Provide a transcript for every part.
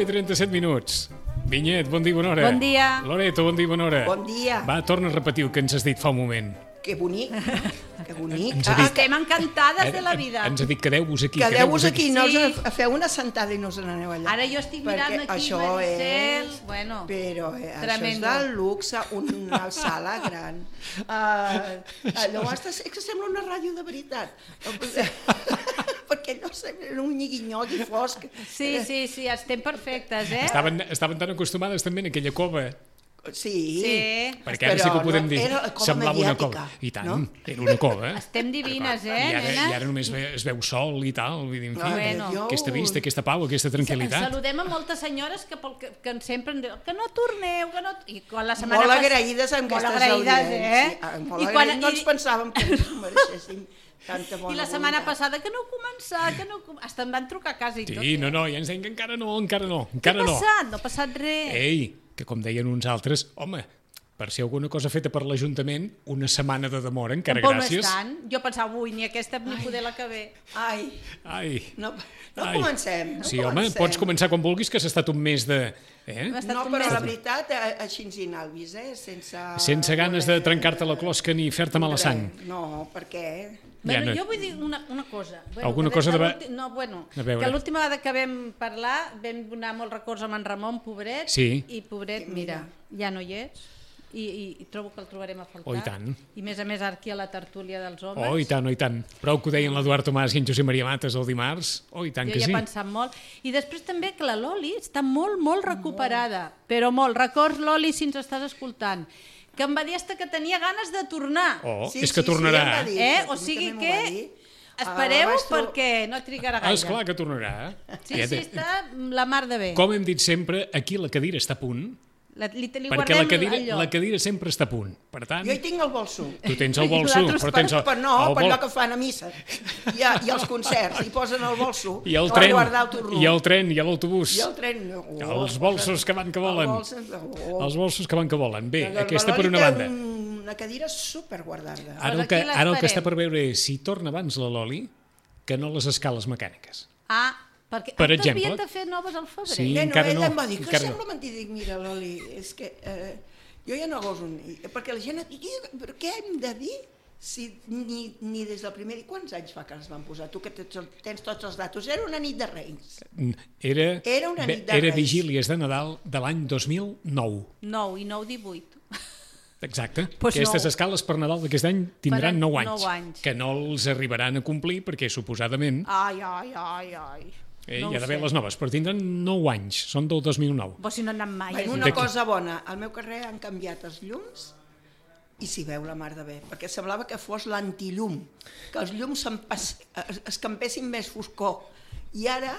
i 37 minuts. Vinyet, bon dia, bona hora. Bon dia. Loreto, bon dia, bona hora. Bon dia. Va, torna a repetir el que ens has dit fa un moment. Que bonic, que bonic. Estem encantades de la vida. Ens ha dit quedeu-vos aquí. Quedeu-vos aquí, no Sí. feu una sentada i no us n'aneu allà. Ara jo estic mirant Perquè aquí, això Maricel. és... Bueno, Però això és tremendo. del luxe, una sala gran. Allò és que sembla una ràdio de veritat. Perquè no sé, era un nyigui-nyogui fosc. Sí, estem perfectes, eh? Estaven tan acostumades també en aquella cova. Sí. Perquè ara sí que ho podem dir. Era la cova Semblava una mediàtica, cova. I tant, no? era una cova. Estem divines, I nenes? ara només es veu sol i tal. Vull dir, en fi, Bueno. aquesta vista, aquesta pau, aquesta tranquil·litat. Saludem a moltes senyores que sempre ens diuen que no torneu, que no... I quan la setmana Molt agraïdes amb molt aquestes agraïdes, audiències. Molt agraïdes, no ens pensàvem que ens mereixéssim tanta bona I la setmana voluntat. passada que no començar, Hasta em van trucar a casa i tot. Sí, no, ja ens deien que encara no. Què ha passat? No ha passat res. Ei, que com deien uns altres, home, per ser alguna cosa feta per l'Ajuntament, una setmana de demora, encara Tampoc gràcies. no és tant. Jo pensava, ni aquesta ni poder la que ve. Ai, no Ai. comencem. No Sí, comencem. home, pots començar quan vulguis, que s'ha estat un mes de... Hem estat No, un però mes- la veritat, així ens inalvis, Sense ganes de trencar-te la closca ni fer-te mala sang. No, per què? Bueno, Ja no- jo vull dir una cosa. Alguna cosa de... No, bueno, A veure. que l'última vegada que vam parlar vam donar molts records amb en Ramon, pobret, Sí. i pobret, mira, ja no hi és, i trobo que el trobarem a faltar. Oh, i tant. I més a més ara aquí a la tertúlia dels homes. Oh, i tant, oh, i tant. Prou que ho deien l'Eduard Tomàs i en Josep Maria Mates el dimarts. Oh, i tant Jo que hi sí. he pensat molt. I després també que la Loli està molt recuperada, però molt. Records, Loli, si ens estàs escoltant, que em va dir hasta que tenia ganes de tornar. Oh, és que tornarà. Sí, O sigui que espereu perquè no trigarà gaire. Esclar que tornarà. Sí, està la mar de bé. Com hem dit sempre, aquí la cadira està a punt, Li perquè guardem el lloc. la cadira sempre està a punt. Per tant, Jo hi tinc el bolso. tu tens el bolso, nosaltres però tens el... Per no, el per bol- allò que fan a missa. I als concerts, hi posen el bolso. I el per tren, guardar el tornó. i el tren, i l'autobús. I el tren. Els bolsos que van que volen. Els bolsos que van que volen. Bé, aquesta per una banda. Una cadira superguardada. Ara el Doncs que, aquí ara el que està l'esperem. per veure és si torna abans la Loli que no les escales mecàniques. Perquè Per per exemple. havien de fer noves al febrer. Sí. Neno, encara ella no, em va dir que encara sembla mentida. Dic, mira, Loli, és que jo ja no goso ni... Perquè la gent et diu, però què hem de dir? Si ni des del primer dia... Quants anys fa que les van posar? Tu que tens tots els datos. Era una nit de Reis. Era una nit de Era Reis. vigílies de Nadal de l'any 2009. 9 i 9, 18. Exacte. Pues Aquestes no. escales per Nadal d'aquest any tindran Faran 9 anys, 9 anys. que no els arribaran a complir perquè suposadament Ai. hi No ha ho d'haver sé. les noves, però tindran 9 anys, són del 2009. Però si no han anat mai. Bueno, a una D'aquí. cosa bona, al meu carrer han canviat els llums i s'hi veu la mar de bé, perquè semblava que fos l'antillum, que els llums es campessin més foscor. I ara,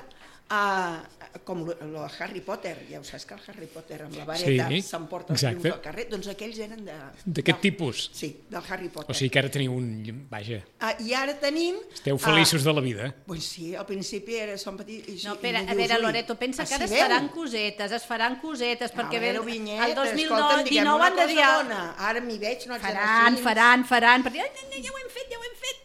com el Harry Potter, ja ho saps que el Harry Potter amb la vareta Sí, s'emporta els exacte. llums al carrer, doncs aquells eren D'aquest tipus. Sí, del Harry Potter. O sigui que ara teniu un... Vaja, I ara tenim... esteu feliços de la vida. Pues sí, al principi som petits... No, a veure, Loreto, pensa que ara es faran cosetes, perquè a veure, Vinyet, el 2019 escolta'm, diguem 19 una han de dir... cosa bona. Ara m'hi veig, no haig Faran, perquè ja ho hem fet.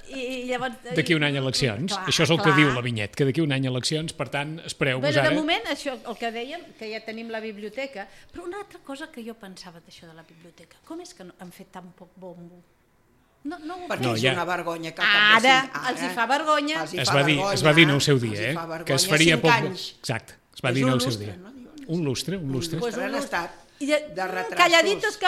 I llavors... D'aquí un any eleccions. Clar, Això és el que clar. diu la Vinyet, que d'aquí un any eleccions, per tant, espereu-vos Bueno, ara... de moment, això, el que dèiem, que ja tenim la biblioteca, però una altra cosa que jo pensava d'això de la biblioteca, com és que han fet tan poc bombo? No ho Perquè No, és ja- una vergonya que al cap de Ara els hi fa vergonya. Els hi Es fa va dir vergonya, en el seu dia, els hi fa vergonya. que es faria 5 poc... anys. Exacte, es va És dir en un el seu lustre, dia. no diuen? Un lustre. Pues han estat de retrasos. Calladitos.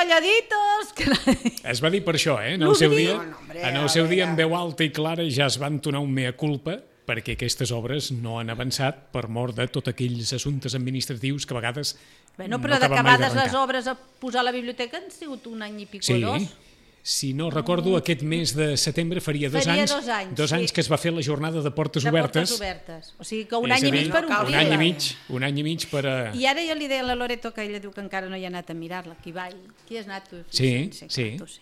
Es va dir per això, en el seu dia. No, hombre, En a el seu dia, veure. en veu alta i clara, ja es van donar un mea culpa perquè aquestes obres no han avançat per mort de tots aquells assumptes administratius que a vegades Bueno, no però acaben mai d'acabades les d'arrencar. obres a posar a la biblioteca han sigut un any i pico Sí, dos. si no recordo, aquest mes de setembre faria dos Faria anys, 2 anys, dos sí. anys que es va fer la jornada de portes De obertes. portes obertes. O sigui que un És any a i mig dir, per no cal un omplir-la. any i mig, un any i mig per a... I ara jo li deia a la Loreto que ella diu que encara no hi ha anat a mirar-la. Qui va? Qui has anat tu? Sí, clar, sí. tu sí.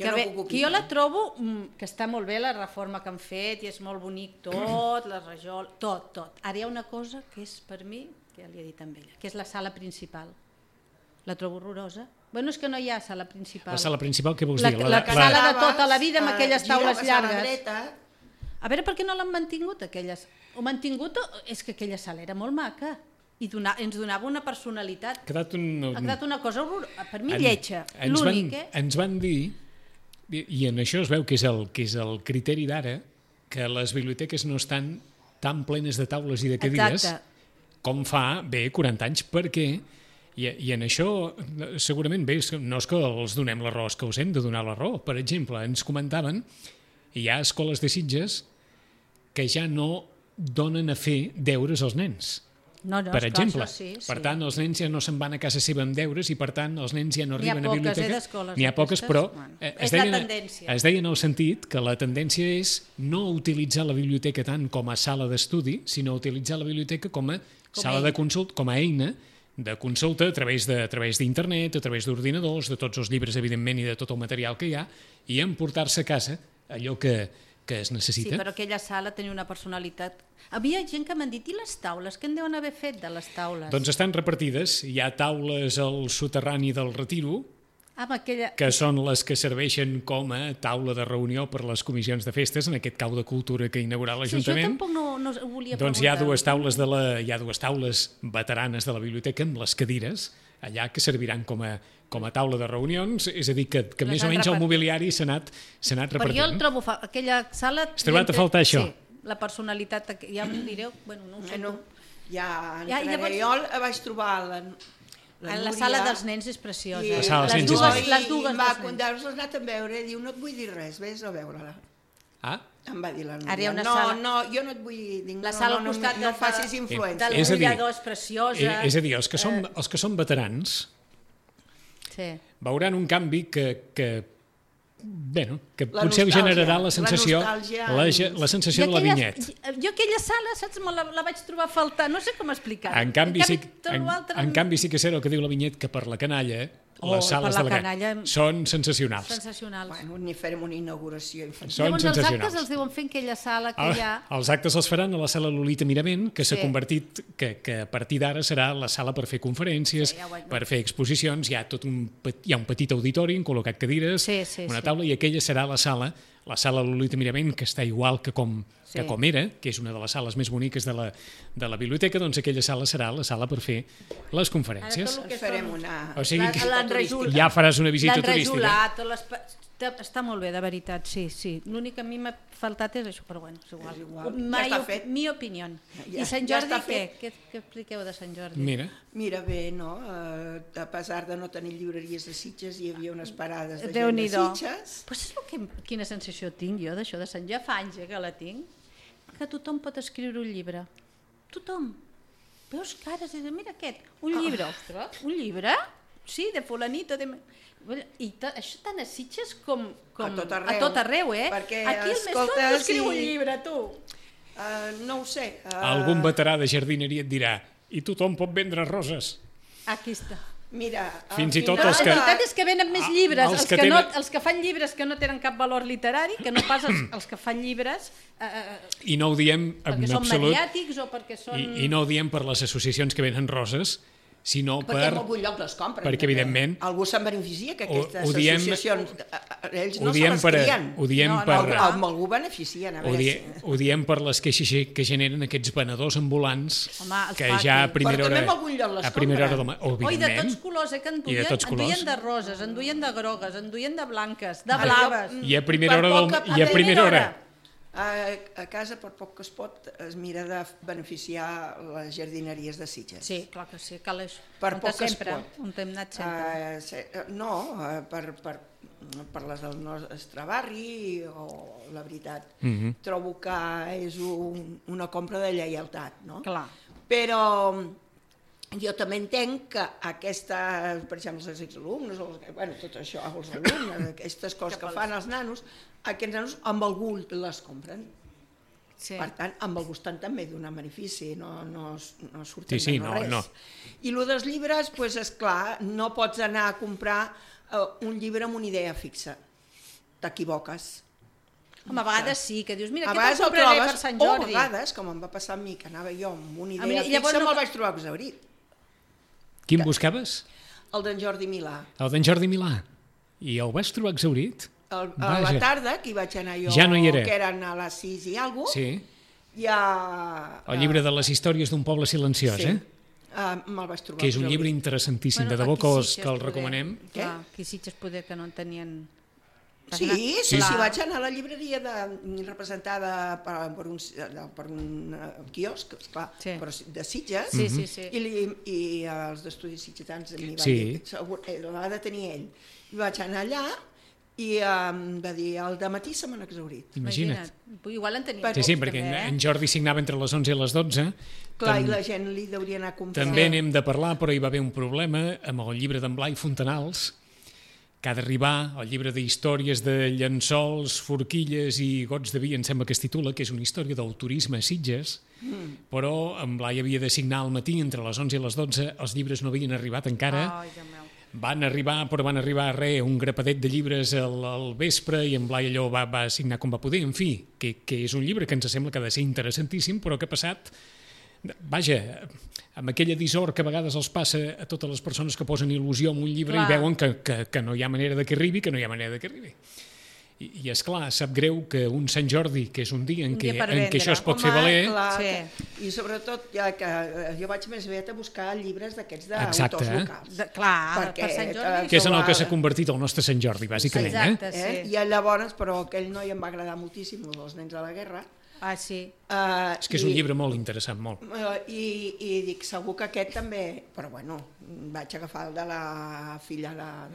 Jo Que, no bé, puc que jo opinar. la trobo que està molt bé la reforma que han fet i és molt bonic tot, la rajol, tot. Ara hi ha una cosa que és per mi, que ja li he dit amb ella, que és la sala principal. La trobo horrorosa. Bueno, és que no hi ha sala principal. La sala principal, què vols La- dir? la sala de tota la vida amb aquelles taules giraves a la llargues. dreta, A veure per què no l'han mantingut aquelles. Ho mantingut és que aquella sala era molt maca i ens donava una personalitat. Ha quedat Ha quedat una cosa per mi lletja, l'únic, Ens van dir, i en això es veu que és el criteri d'ara, que les biblioteques no estan tan plenes de taules i de cadires Exacte. com fa, 40 anys, perquè, i en això segurament bé, no és que els donem la raó, és que us hem de donar la raó. Per exemple, ens comentaven, hi ha escoles de Sitges que ja no donen a fer deures als nens. No, Per esclar, exemple, això sí. per tant, els nens ja no se'n van a casa seva amb deures i, per tant, els nens ja no N'hi ha arriben a poques, biblioteca. d'escoles N'hi ha poques, d'aquestes. però Bueno, es és la deia, tendència. es deia en el sentit que la tendència és no utilitzar la biblioteca tant com a sala d'estudi, sinó utilitzar la biblioteca com a sala eina. de consult, com a eina de consulta a través d'internet, a través d'ordinadors, de tots els llibres, evidentment, i de tot el material que hi ha, i emportar-se a casa allò que es Sí, necessita. però aquella sala tenia una personalitat. Havia gent que m'han dit, i les taules? Què en deuen haver fet de les taules? Doncs estan repartides. Hi ha taules al soterrani del Retiro, Amb aquella... que són les que serveixen com a taula de reunió per les comissions de festes, en aquest cau de cultura que inaugurà Sí, jo l'Ajuntament. tampoc no ho volia Doncs hi ha preguntar. hi ha dues taules veteranes de la biblioteca amb les cadires, allà que serviran com a taula de reunions, és a dir, que Les més o han menys el repartit. mobiliari s'ha anat Però jo el repartint. trobo... Aquella sala... Has trobat a faltar això? Sí, la personalitat... Ja m'ho direu, bueno, no ho sé. bueno, ja Ja, entraré. llavors- Jo vaig trobar La Núria, sala dels nens és preciosa. i La sala dels les nens és dues, bonica. les dues va, dels nens. quan has anat a veure, diu, no et vull dir res, vés a veure-la. Ah, Em va dir la Núria. Ara hi ha una no, sala- no, jo no et vull dir... Dic, La no, sala no, al no, costat no facis influència. del És a dir, brollador és preciosa. és a dir, els que són veterans Sí. veuran un canvi que La potser nostàlgia, generarà la la sensació, nostàlgia la sensació de la vinyet. Jo aquella sala, saps, la vaig trobar a faltar, no sé com explicar. En canvi, tot l'altre- en canvi sí que és cert el que diu la vinyet, que per la canalla les sales per de la la canalla són sensacionals. Sensacionals. Bueno, ni farem una inauguració infantil. Són Llavors els sensacionals. actes els deuen fer en aquella sala que hi ha... Els actes els faran a la sala Lolita Miravent, que s'ha Sí. convertit, que a partir d'ara serà la sala per fer conferències, Sí, ja ho he- per fer exposicions, hi ha un petit auditori, han col·locat cadires, Sí, sí, una sí. taula, i aquella serà la sala Lolita Miravent, que està igual que com era, que és una de les sales més boniques de la biblioteca, doncs aquella sala serà la sala per fer les conferències. Ara tot el que Ens farem són- una... O sigui que L'enrejol- ja faràs una visita turística. L'enrejolat, està molt bé, de veritat, sí. L'únic que a mi m'ha faltat és això, però bueno, és igual. És igual, ja està fet. Mi opinió. Ja- I Sant ja Jordi, està què? fet. Què expliqueu de Sant Jordi? Mira, Mira bé, no? A pesar de no tenir llibreries de Sitges, hi havia unes parades de gent de Déu-n'hi-do. Sitges. Però saps quina sensació tinc jo d'això de Sant Jordi? Ja fa anys que la tinc. Que tothom pot escriure un llibre. Tothom. Veus cares i dius, mira aquest, un llibre. Ostres, un llibre? Sí, de fulanito. I això tant a Sitges com A tot arreu. A tot arreu, eh? Perquè, aquí el més escolta, tonto escriu un sí. llibre, tu. No ho sé. algun veterà de jardineria et dirà i tothom pot vendre roses. Aquí està. Mira, Fins i al tot final- els La que- veritat és que venen més Ah, llibres, els els que que, tenen- els que fan llibres que no tenen cap valor literari, que no pas els que fan llibres I no ho diem en perquè són absolut, mediàtics o perquè són... i no ho diem per les associacions que venen roses, sinó perquè en algun lloc les compren. perquè, també. evidentment, Algú se'n beneficia, que aquestes ho diem- associacions, ells ho no se diem les per- crien. ho diem No, per- amb algú beneficien. A veure ho diem per les queixes que generen aquests venedors ambulants Home, els que pati. ja a primera Però hora... també en algun lloc les a primera hora compren. del matí. Oi, de tots colors, que I de tots colors. enduien de roses, enduien de grogues, enduien de blanques, de Ara, blaves. I a primera Per hora poc del... que- I a primera hora. A casa, per poc que es pot, es mira de beneficiar les jardineries de Sitges. Sí, clar que sí, cal això. Per On poc que es sempre, pot. on hem anat sempre. Per les del nostre barri, o la veritat, Mhm. trobo que és una compra de lleialtat, no? Clar. Però jo també entenc que aquestes, per exemple, els exalumnes, bueno, tot això, els alumnes, aquestes coses que fan els nanos, aquests nanos amb el gust les compren. Sí. Per tant, amb el gustant també donar benefici, no surten Sí, de res. no. I el dels llibres, doncs, esclar, no pots anar a comprar un llibre amb una idea fixa. T'equivoques. Home, a vegades sí, que dius, mira, A què vegades te'l el compraré trobes, per Sant o Jordi? a vegades, com em va passar a mi, que anava jo amb una idea mi, fixa, llavors no- me'l vaig trobar exaurit. Quin buscaves? El d'en Jordi Milà. El d'en Jordi Milà. I el vas trobar exaurit? A Vaja. la tarda, que hi vaig anar jo, Ja no hi era. que eren a les 6 i alguna cosa, Sí. ja... El llibre de les històries d'un poble silenciós, sí, me'l vaig trobar Que és un exaurit. llibre interessantíssim, de debò aquí que Sitges que el poder- recomanem. Què? Clar, aquí Sitges poder que no en tenien... Sí, Sí. vaig anar a la llibreria representada per un quiosc, esclar, Sí. però de Sitges, Sí, sí, sí. i els d'estudis sitgetans m'hi van Sí. dir, segur, l'ha de tenir ell. I vaig anar allà i em va dir, al dematí se m'han exaurit. Imagina't. Igual en tenien Sí, sí, pocs, perquè també, en Jordi signava entre les 11 i les 12. Clar, i la gent li deuria anar a comprar. També n'hem de parlar, però hi va haver un problema amb el llibre d'en Blai Fontanals, que ha d'arribar, el llibre d'històries de llençols, forquilles i gots de vi, em sembla que es titula, que és una història del turisme a Sitges, però en Blai havia de signar al matí, entre les 11 i les 12, els llibres no havien arribat encara, Ai, Déu meu. van arribar un grapadet de llibres al vespre i en Blai allò va signar com va poder, en fi, que és un llibre que ens sembla que ha de ser interessantíssim, però que ha passat, vaja, amb aquella dissort que a vegades els passa a totes les persones que posen il·lusió en un llibre Clar. i veuen que no hi ha manera de que arribi, I esclar, sap greu que un Sant Jordi, que és un dia en Un dia què, per en què vendre. això es pot fer valer, Clar, Sí. I sobretot, ja que jo vaig més aviat a buscar llibres d'aquests Exacte, d'autors locals. Clar, per Sant Jordi. que és en el que s'ha convertit el nostre Sant Jordi, bàsicament. Exacte, sí. I llavors, però aquell noi em va agradar moltíssim, els nens de la guerra. Ah, sí. És que és un llibre molt interessant, molt. I dic, segur que aquest també, però bueno, vaig agafar el de la filla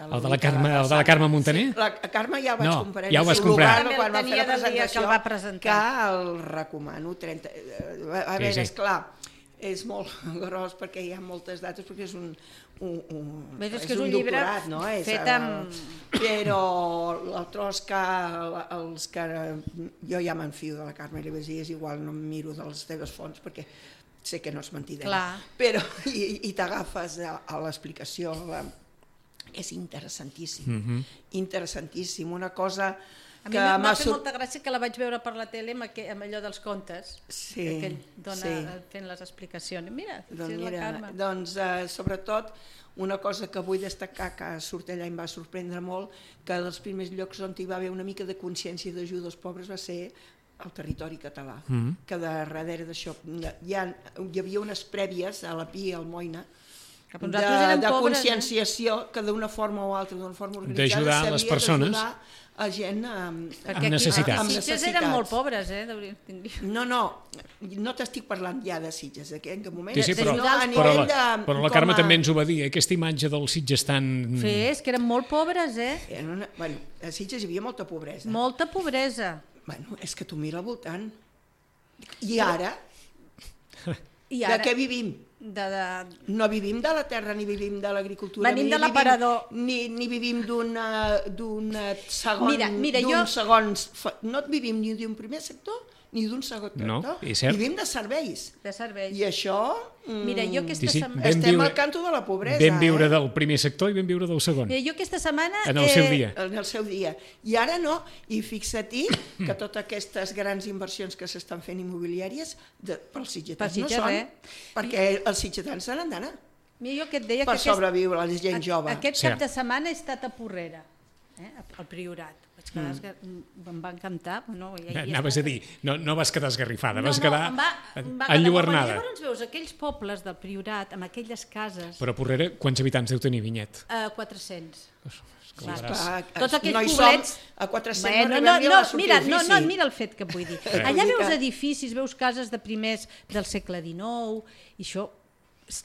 El de la Carme Montaner? Sí, la Carme ja el vaig No, comprar. ja ho vas en comprar. Lugano, quan va També fer el la tenia del dia que el va presentar. que el recomano. A veure, sí. esclar, és molt gros perquè hi ha moltes dates, perquè és un És que és un llibre doctorat, no? fet amb... Però el tros que els que jo ja m'enfio de la Carme i li vaig dir, és igual, no em miro de les teves fonts perquè sé que no és mentida. Clar. Però i t'agafes a l'explicació, és interessantíssim, interessantíssim, una cosa A mi m'ha fet molta gràcia que la vaig veure per la tele amb allò dels contes, Sí, que ell dona sí. fent les explicacions. Mira, Doncs, si és la mira, Carme. doncs sobretot, una cosa que vull destacar, que surt allà i em va sorprendre molt, que dels primers llocs on hi va haver una mica de consciència d'ajuda als pobres va ser el territori català, que darrere d'això hi havia unes prèvies a la Pi i al Moina, Que per nosaltres eren de pobres, conscienciació que d'una forma o altra, d'una forma organitzada, D'ajudar les persones a gent Perquè necessitats. aquí a Sitges eren molt pobres, No t'estic parlant ja de Sitges, en aquest moment. Sí, però a nivell però la Carme també ens ho va dir, aquesta imatge dels Sitges tan... és que eren molt pobres, Bueno, a Sitges hi havia molta pobresa. Molta pobresa. Bueno, és que tu mira al voltant. I ara, I de què vivim? No vivim de la terra, ni vivim de l'agricultura. Venim de l'aparador. Ni vivim d'un segon... Mira, jo... No vivim ni d'un primer sector, ni d'un segon sector. No, és cert. Vivim de serveis. De serveis. I això... Mira, jo aquesta Sí, sí. setmana... Estem al canto de la pobresa. Vam viure del primer sector i vam viure del segon. Mira, jo aquesta setmana... En el seu dia. En el seu dia. I ara no. I fixa-t'hi que totes aquestes grans inversions que s'estan fent immobiliàries pels sitgetans no són. Perquè els sitgetans se n'han d'anar. Mira, jo que et deia per que sobreviure la gent jove. aquest Sí. cap de setmana he estat a Porrera, al Priorat. Vaig quedar, em va encantar. Bueno, Anaves a dir, no vas quedar esgarrifada, vas em quedar va quedar enlluernada. molt bé. Llavors veus aquells pobles del Priorat, amb aquelles cases, Però Porrera, quants habitants deu tenir, Vinyet? 400. Clar. Tots aquells no hi poblets... som, a 400 Bueno, no arribem ni a la sortir mira, d'ofici. mira el fet que vull dir. Allà Vull dir veus que- edificis, veus cases de primers del segle XIX, i això,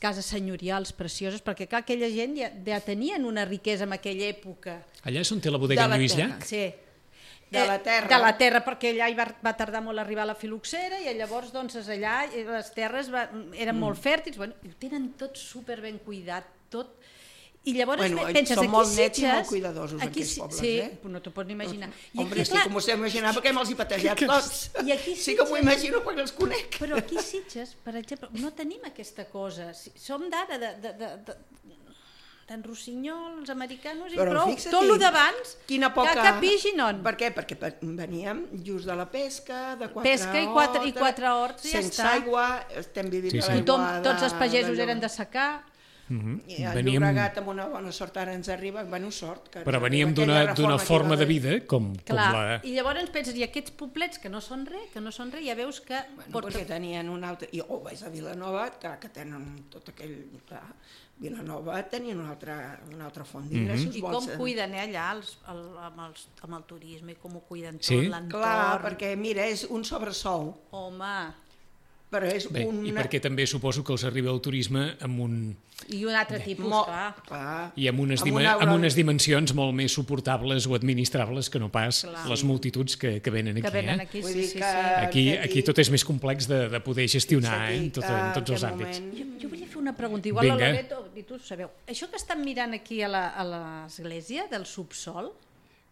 cases senyorials precioses, perquè clar, aquella gent ja tenien una riquesa en aquella època. Allà és on té la bodega De en la Lluís terra. Llach? Sí. De la terra. De la terra, perquè allà hi va tardar molt a arribar la filoxera i llavors doncs, allà les terres eren molt fèrtils, bueno, ho tenen tot super ben cuidat, tot. I llavors Bueno, penses, són aquí molt nets i Sitges... molt cuidadosos, aquells pobles, sí, eh? no t'ho pots ni imaginar. Hombre, sí, com us heu imaginat, perquè me'ls he patejat tots. I aquí Sí que m'ho Sitges- imagino perquè els conec. Però aquí a Sitges, per exemple, no tenim aquesta cosa. Som d'ara, d'en Rossinyol, els americanos, i Però prou. fixa't, Tot el d'abans, quina poca... que pixi non. Per què? Perquè veníem just de la pesca, de 4 Pesca i quatre horts i ja sense està. aigua, estem vivint Sí, de sí. l'aigua Tots els pagesos de eren de secar. I el Veníem- Llobregat amb una bona sort ara ens arriba, bueno, sort. Que Però ens veníem arriba aquella d'una reforma forma que de hi va vida com Clar, la... i llavors ens penses, i aquests poblets que no són res, ja veus que... Bueno, perquè tenien un altre... I vaig a Vilanova, que tenen tot aquell... Clar, Vilanova tenien una altra font d'ingressos. I com cuiden allà amb el turisme, i com ho cuiden tot, Sí? l'entorn. Clar, perquè mira, és un sobresou, Home, però és Bé, i perquè també suposo que els arriba el turisme amb un... i un altre tipus, clar. Clar. I amb unes, Amb una amb unes dimensions molt més suportables o administrables que no pas Clar. les multituds que venen aquí. Que venen eh? aquí, Vull sí, dir sí, que- sí. Aquí tot és més complex de poder gestionar en tots els àmbits. Jo volia fer una pregunta, igual Vinga. la Loreto, i tu ho sabeu. Això que estan mirant aquí a l'església del subsol,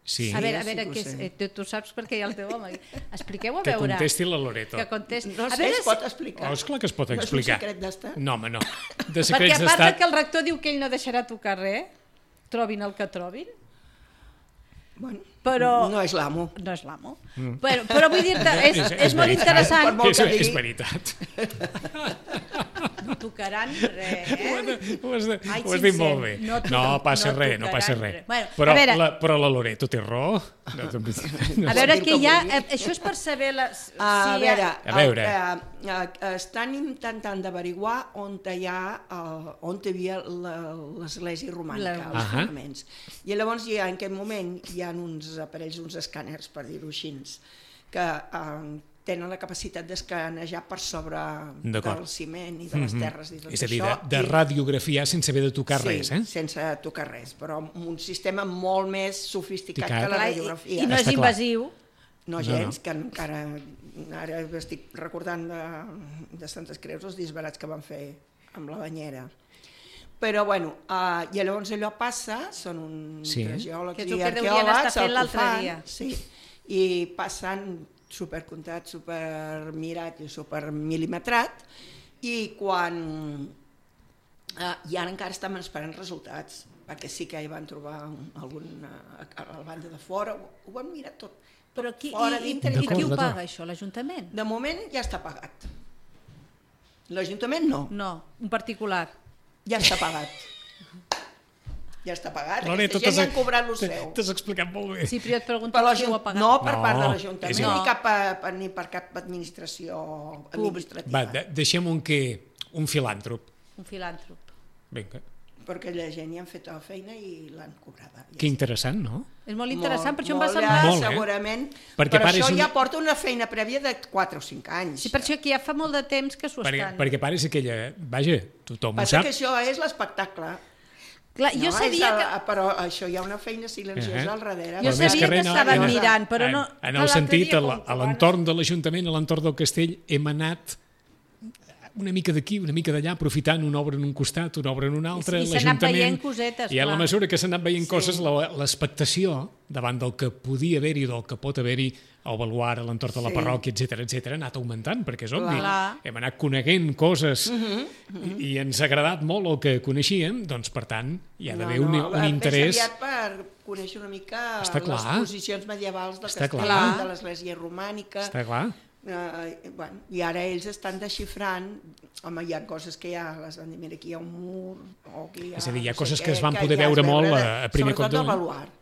Sí, a veure sí que ho què és, sé. tu saps perquè hi ha el teu home. Expliqueu a que veure. contesti la Loreto. Que contesti. No A sé, veure es pot explicar. Oh, esclar que es pot No és un explicar. secret d'estat? No, home, no. De Perquè secrets a part d'estat... que el rector diu que ell no deixarà tocar res, trobin el que trobin, Bueno, però... no és l'amo. No és l'amo. Però vull dir-te, és molt veritat. interessant. Per molt que És digui. veritat. No tocaran res, Ho has Ai, dit sincer, molt bé. No passa res, no passa res. Bueno, Però a veure- però la Loreto té raó. No, A veure dir què que hi ha... vulgui. Això és per saber... A veure, A veure. estan intentant d'averiguar on hi havia l'església romànica, els Ahà. fonaments. I llavors en aquest moment hi ha uns aparells, uns escàners, per dir-ho així, que tenen la capacitat d'escanejar per sobre D'acord. del ciment i de les terres i tot És a dir, això. de radiografiar sense haver de tocar res, eh? Sí, sense tocar res, però amb un sistema molt més sofisticat Picat. que la Clar, radiografia. I no és Està clar. invasiu. No gens, que encara ara estic recordant de Santes Creus els disbarats que van fer amb la banyera. Però bueno, i llavors allò passa, són uns Sí. geòlegs Que és i el que deurien arqueòlegs, estar fent el que l'altre fan, dia. sí, i passen supercomptat, supermirat i supermil·limetrat, i quan... I ara encara estem esperant resultats, perquè sí que hi van trobar algun a la banda de fora, ho van mirar tot. Però qui, Fora, i dintre, qui ho D'acord. paga, això? L'Ajuntament? De moment ja està pagat. L'Ajuntament no, No, un particular. ja està pagat. Ja està pagat, Loreto, aquesta gent ja han cobrat el seu. T'has explicat molt bé. Sí, però jo et pregunto Per qui ho ha pagat. no per part de No, l'Ajuntament, és ni, igual. ni per cap administració Públic. administrativa. Va, deixem un filàntrop. Un filàntrop. Vinga. Perquè la gent ja han fet la feina i l'han cobrada. Ja Que interessant, no? És molt interessant, per això em va molt semblar... Molt, eh? segurament, Perquè però pare això és ja porta una feina prèvia de 4 o 5 anys. Sí, per això que ja fa molt de temps que s'ho estan... Perquè pare és aquella... Vaja, tothom ho Passa sap. que això és l'espectacle. Clar, jo sabia que... Però això hi ha una feina silenciosa al darrere. Jo Però més sabia res, que no, estaven no. mirant, però no... En clar, el l'altre sentit, dia, a com l'entorn de l'Ajuntament, a l'entorn del castell, hem anat una mica d'aquí, una mica d'allà, aprofitant una obra en un costat, una obra en un altre, I s'han anat l'Ajuntament... veient cosetes, I a la clar. mesura que s'han anat veient coses, l'expectació davant del que podia haver-hi, del que pot haver-hi al baluar, a l'entorn de la Sí. parròquia, etc ha anat augmentant, perquè és obvi. Clar. Hem anat coneguent coses i ens ha agradat molt el que coneixíem, doncs, per tant, hi ha d'haver un interès... Més aviat per conèixer una mica Està clar. les posicions medievals del Està castell, clar. de l'església romànica. Està clar. Bueno, i ara ells estan desxifrant, home, hi ha coses que ja les van dir, mira, aquí hi ha un mur, o aquí hi ha... És a dir, hi ha no sé coses què, que es van ja poder es veure molt de- a primer cop Sobretot d'ull. el baluart.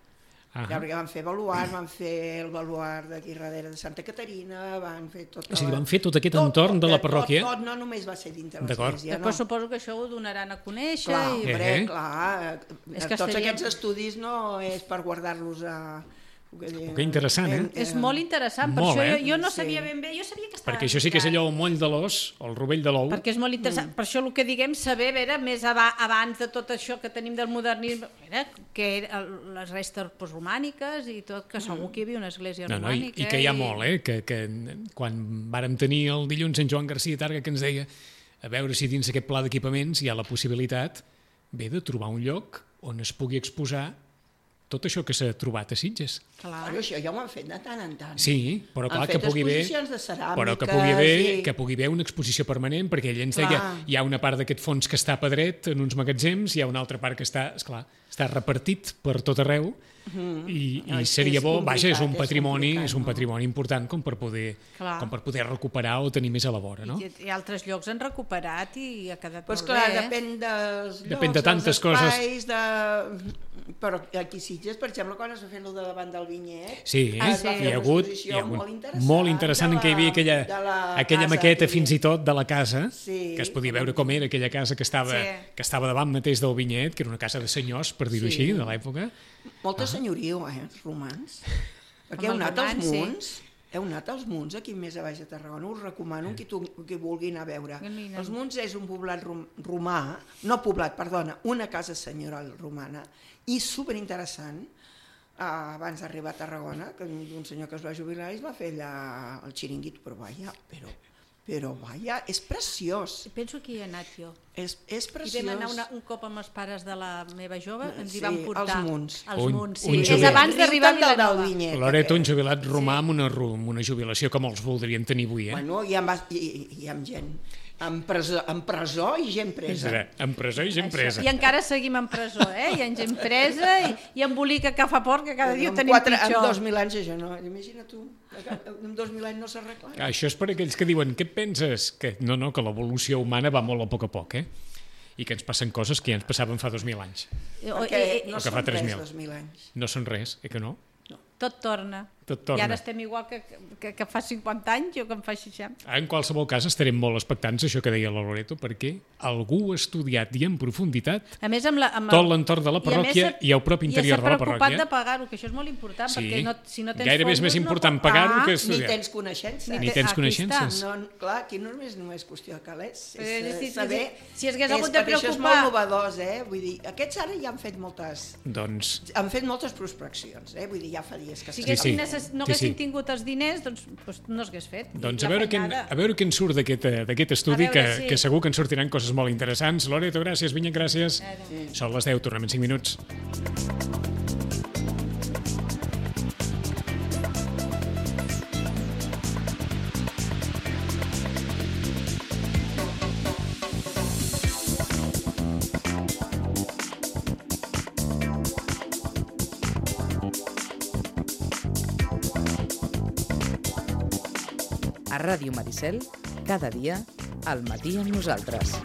Ah. Ja, perquè van fer baluart, van fer el baluart d'aquí darrere de Santa Caterina, van fer tot... És a dir, van fer tot aquest entorn de la parròquia. Tot, no només va ser dintre D'acord. l'església, Després no. suposo que això ho donaran a conèixer. Clar, I... hombre, Eh. És que tots estaria- aquests estudis no és per guardar-los a... Que interessant, eh? És molt interessant, per Molt, això eh? jo no Sí. sabia ben bé, jo sabia que estava... Perquè això sí que és allò, el moll de l'os, el rovell de l'ou. Perquè és molt interessant, per això el que diguem saber, veure, més abans de tot això que tenim del modernisme, que les restes postromàniques i tot, que segur que hi havia una església No, romànica. i que hi ha molt, que quan vàrem tenir el dilluns en Joan Garcia Targa que ens deia a veure si dins aquest pla d'equipaments hi ha la possibilitat de trobar un lloc on es pugui exposar tot això que s'ha trobat a Sitges. Clar. Però això ja ho han fet de tant en tant. Sí, però clar, Han que fet pugui haver... exposicions de ceràmiques Però que pugui haver, i- que pugui haver una exposició permanent, perquè ell ens deia Clar. hi ha una part d'aquest fons que està a pedret en uns magatzems, hi ha una altra part que està, esclar, està repartit per tot arreu, i No, és seria bo, vaja, és un complicat, patrimoni important com per poder recuperar o tenir més a la vora, no? I altres llocs han recuperat i ha quedat Pues molt clar, bé. depèn dels llocs, Depèn de tantes dels coses. espais, però aquí a Sitges, per exemple, quan es va fer el de davant del Vinyet, Sí, es va fer hi ha una hagut exposició molt interessant en què hi havia de la aquella casa maqueta aquí. fins i tot de la casa, Sí. que es podia veure com era aquella casa que estava davant mateix del Vinyet, que era una casa de senyors, per dir-ho Sí. així, de l'època. Molta senyoriu, els romans. Perquè heu Amb els anat als romans, sí. Munts, heu anat als Munts, aquí més a baix de Tarragona, us recomano qui vulgui anar a veure. Els Munts és un poblat romà, no poblat, perdona, una casa senyorial romana, i superinteressant, abans d'arribar a Tarragona, que un senyor que es va jubilar i es va fer allà el xiringuito, però vaja, és preciós, Penso que hi he anat jo. és I preciós. vam anar un cop amb els pares de la meva jove, ens hi Sí, van portar. als Munts. Als Un- Munts, sí. un És jubilat. abans d'arribar a Riu tant del Vilanova. Vinyet, Loreto, un aquest. jubilat romà amb una jubilació que molts voldrien tenir avui, eh? Bueno, hi ha gent en presó i gent presa. En presó i gent presa. I encara seguim en presó, eh? Hi ha gent presa i embolica que fa por, que cada dia ho En tenim en pitjor. 2.000 anys això no, imagina tu, en 2.000 anys no s'arregla. Això és per aquells que diuen, què et penses? Que que l'evolució humana va molt a poc, eh? I que ens passen coses que ja ens passaven fa 2.000 anys. Perquè no o que fa són res 3.000. 2.000 anys. No són res, que no? Tot torna. Tot torna. I ara estem igual que fa 50 anys o que en fa 60. En qualsevol cas, estarem molt expectants, això que deia la Loreto, perquè algú ha estudiat i en profunditat A més, tot l'entorn de la parròquia i el propi interior de la I s'ha preocupat parròquia. de pagar-ho, que això és molt important, Sí. perquè si no tens Gairebé és fons, més no important pots- pagar-ho que Ni estudiar. tens coneixences. Ni tens Aquí coneixences. No, clar, aquí no és qüestió de calés, Però és és si- saber... si hagués hagut de perquè això és preocupar- molt novedós, vull dir, aquests ara ja han fet moltes prospeccions, vull dir, ja fa dies que Si s'estan Sí, haguessin, sí. no Sí, haguessin sí. tingut els diners, doncs no s'hagués fet. I Doncs la a veure feinada. què en surt d'aquest estudi, A veure, sí. que segur que en sortiran coses molt interessants. Loreto, gràcies. Vinyet, gràcies. Són les 10, tornem en 5 minuts. A Ràdio Maricel, cada dia, al matí amb nosaltres.